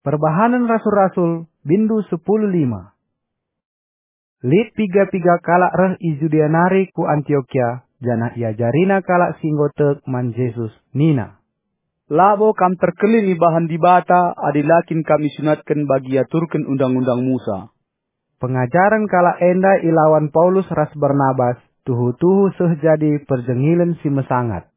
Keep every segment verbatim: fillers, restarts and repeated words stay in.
Perbahanen Rasul-Rasul, bindu sepuluh lima. Lit piga-piga kalak reh i Judea nari ku Antiokia, janah iajarina kalak si enggo tek man Jesus, nina, "Labo kam terkelin ibahan Dibata adi la kin kam isunatken bagi iaturken Undang-undang Musa." Pengajaren kalak enda ilawan Paulus ras Barnabas tuhu-tuhu seh jadi perjengilen si mesangat.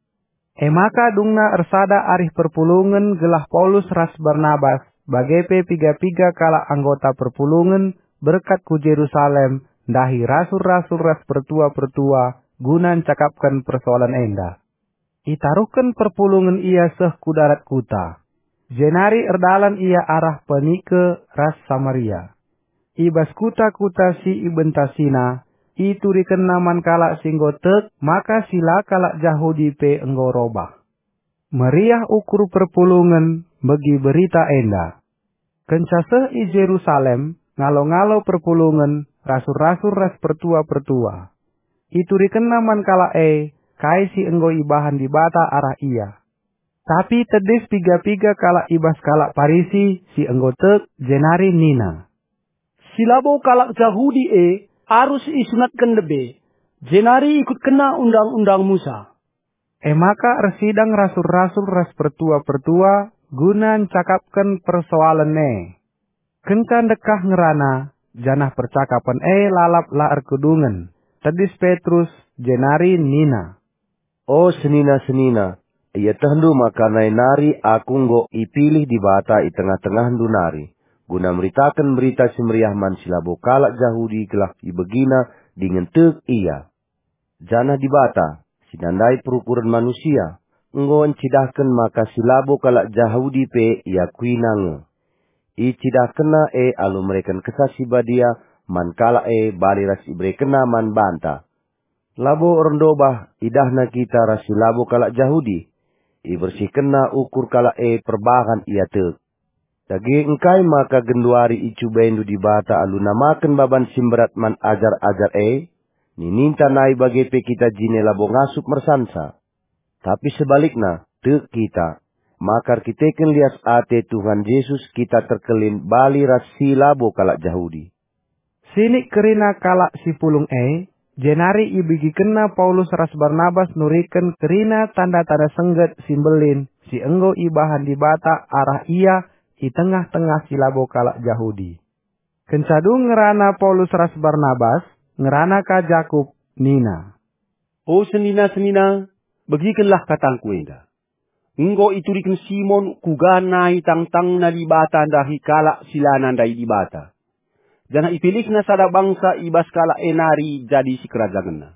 E maka dungna ersada arih perpulungen gelah Paulus ras Barnabas, bage pe piga-piga kalak anggota perpulungen, berkat ku Jerusalem, ndahi rasul-rasul ras pertua-pertua guna ncakapken persoalen enda. Itaruhken perpulungen ia seh ku darat kuta. Jenari erdalan ia arah Penike ras Samaria. I bas kuta-kuta si ibentasina, iturikenna man kalak si enggo tek maka si la kalak Jahudi pe enggo robah. Meriah ukur perpulungen megi berita enda. Kenca seh i Jerusalem, ngalo-ngalo perpulungen, rasul-rasul ras pertua-pertua. Iturikenna man kalak e kai si enggo ibahan Dibata arah ia. Tapi tedis piga-piga kalak i bas kalak Parisi si enggo tek, jenari nina, "Si labo kalak Jahudi e arus isunatken lebe, jenari ikutkenna Undang-undang Musa." E maka ersidang rasul-rasul ras pertua-pertua guna ncakapken persoalen e. Kenca ndekah ngerana, janah percakapen e lalap la erkedungen, tedis Petrus, jenari nina, "O senina-senina, ietehndu maka nai nari aku enggo ipilih Dibata i tengah-tengahndu nari, guna meritaken Berita Si Meriah man si labo kalak Jahudi gelah ibegina dingen tek ia. Janah Dibata, si nandai perukuren manusia, enggo ncidahken maka si labo kalak Jahudi pe iakuiNa nge. IcidahkenNa e alu mereken Kesah Si Badia man kalak e bali ras iberekenNa man banta. Labo erndobah idahNa kita ras si labo kalak Jahudi. IbersihkenNa ukur kalak e perbahan ia tek. Dage engkai maka genduari icubaindu Dibata alu namaken baban si mberat man ajar-ajar e? Nininta nai bage pe kita jine labo ngasup mersansa. Tapi sebalikna, tek kita, maka erkiteken lias ate Tuhan Jesus kita terkelin bali ras si labo kalak Jahudi." Sinik kerina kalak si pulung e, jenari ibegikenna Paulus ras Barnabas nuriken kerina tanda-tanda sengget si mbelin si enggo ibahan Dibata arah ia i tengah-tengah si labo kalak Jahudi. Kenca dung ngerana Paulus ras Barnabas, ngerana ka Jakup, nina, "O senina-senina, begikenlah katangku enda. Enggo ituriken Simon kuga nai tangtangna Dibata ndahi kalak si la nandai Dibata, janah ipilihna sada bangsa i bas kalak e nari jadi sikerajangenna.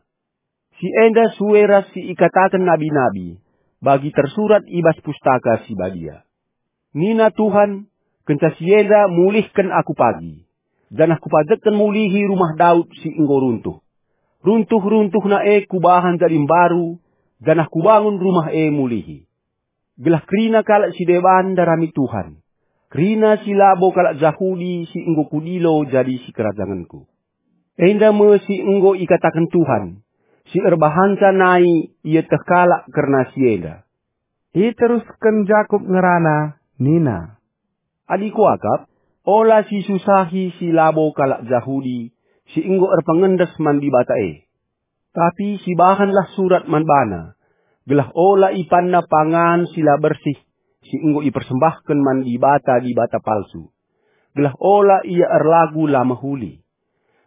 Si enda sue ras si ikataken nabi-nabi, bagi tersurat i bas Pustaka Si Badia. Nina Tuhan, 'Kenca si enda mulihken Aku pagi, janah Kupajekken mulihi rumah Daud si enggo runtuh. Runtuh-runtuhna e Kubahan jadi mbaru, janah Kubangun rumah e mulihi.' Gelah kerina kalak si deban ndarami Tuhan, kerina si labo kalak Jahudi si enggo Kudilo jadi sikerajangenKu. Enda me si enggo ikataken Tuhan, si erbahanca nai ieteh kalak kerna si enda." Iterusken Jakup ngerana, nina, "Adikku akap, ola sisusahi si labo kalak Jahudi si enggo erpengendes man Dibata e. Tapi sibahanlah surat man bana, gelah ola ipanna pangan si la bersih si enggo ipersembahken man dibata-dibata palsu, gelah ola ia erlagu la mehuli,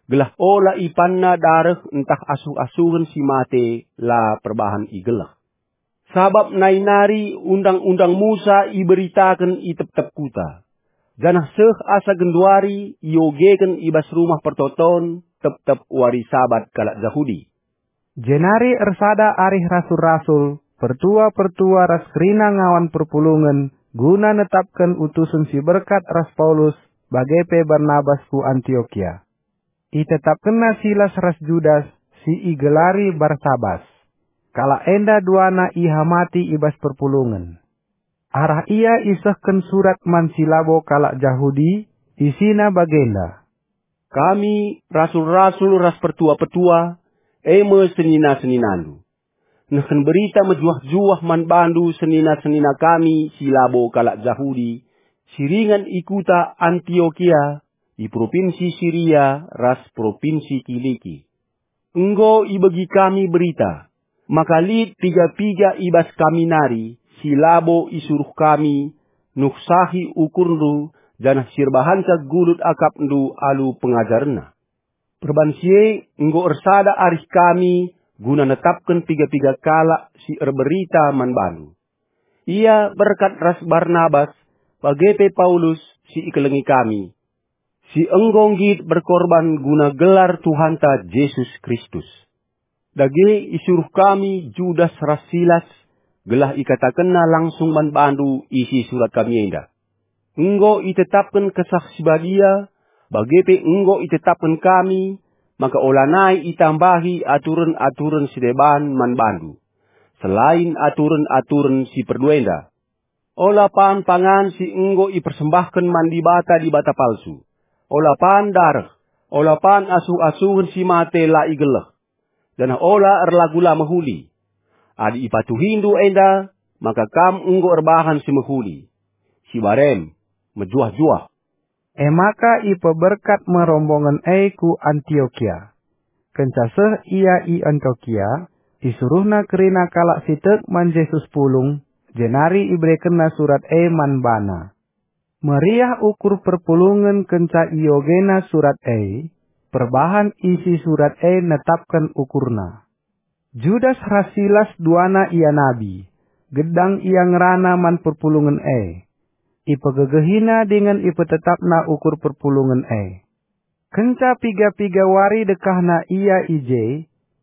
gelah ola ipanna dareh ntah asuh-asuhen si mate la perbahan igeleh. Sabap nai nari Undang-undang Musa iberitaken i tep-tep kuta, janah seh asa genduari iogeken i bas Rumah Pertoton tep-tep wari Sabat kalak Jahudi." Jenari ersada arih rasul-rasul, pertua-pertua ras kerina ngawan perpulungen guna netapken utusen si berkat ras Paulus bage pe Barnabas ku Antiokia. Itetapkenna Silas ras Judas si igelari Barsabas. Kalak enda duana ihamati i bas perpulungen. Arah ia isehken surat man si labo kalak Jahudi, isina bagenda, "Kami, rasul-rasul ras pertua-pertua, e me senina-seninandu, nehken berita mejuah-juah man bandu senina-senina kami si labo kalak Jahudi, si ringan i kuta Antiokia, i propinsi Siria ras propinsi Kiliki. Enggo ibegi kami berita, maka lit piga-piga i bas kami nari si labo isuruh kami nuhsahi ukurndu janah si erbahanca gulut akapndu alu pengajarenna. Perban si e enggo ersada arih kami guna netapken piga-piga kalak si erberita man bandu. Ia berkat ras Barnabas, bage pe Paulus si ikelengi kami, si enggo nggit berkorban guna gelar Tuhanta Jesus Kristus. Dage isuruh kami Judas ras Silas gelah ikatakenna langsung man bandu isi surat kami enda. Enggo itetapken Kesah Si Badia, bage pe enggo itetapken kami maka olanai itambahi aturen-aturen si deban man bandu, selain aturen-aturen si perlu enda. Ola pan pangan si enggo ipersembahken man dibata-dibata palsu. Ola pan dareh, ola pan asuh-asuhen si mate la igeleh, janah ola erlagu la mehuli. Adi ipatuhindu enda, maka kam enggo erbahan si mehuli, si barem, mejuah-juah. E maka ipeberkat me rombongen e ku Antiokia. Kenca seh ia i Antiokia, isuruhna kerina kalak si tek man Jesus pulung, jenari iberekenna surat e man bana. Meriah ukur perpulungen kenca iogena surat e, perbahan isi surat e netapken ukurna. Judas ras Silas duana ia nabi, gedang ia ngerana man perpulungen e. Ipegegehina dingen ipetetapna ukur perpulungen e. Kenca piga-piga wari dekahna ia i je,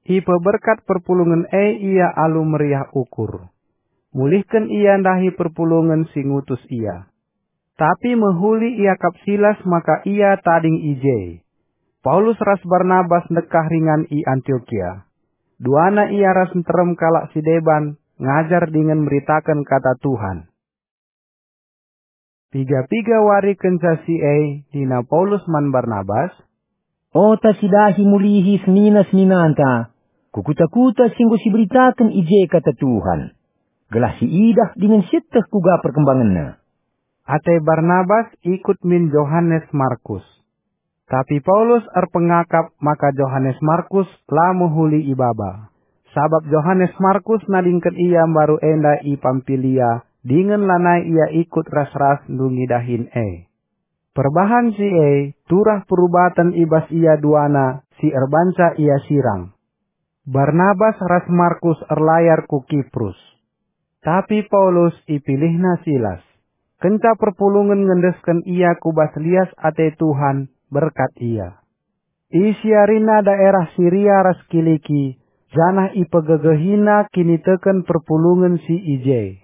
ipeberkat perpulungen e ia alu meriah ukur. Mulihken ia ndahi perpulungen si ngutus ia. Tapi mehuli iakap Silas maka ia tading i je. Paulus ras Barnabas ndekah ringan i Antiokia. Duana ia ras nterem kalak si deban ngajar dingen meritaken kata Tuhan. Piga-piga wari kenca si e nina Paulus man Barnabas, "Ota si dahi mulihi senina-seninanta ku kuta-kuta si enggo siberitaken i je kata Tuhan, gelah siidah dingen sieteh kuga perkembangenna." Ate Barnabas ikut min Johanes Markus. Tapi Paulus erpengakap maka Johanes Markus la mehuli ibaba, sabap Johanes Markus nadingken ia mbaru enda i Pampilia dingen lanai ia ikut ras-ras ndungi dahin e. Perbahan si e turah perubaten i bas ia duana si erbanca ia sirang. Barnabas ras Markus erlayar ku Kiprus. Tapi Paulus ipilihna Silas. Kenca perpulungen ngendesken ia ku bas lias ate Tuhan, berkat ia. Isiarina daerah Siria ras Kiliki, janah ipegegehina kiniteken perpulungen si i je.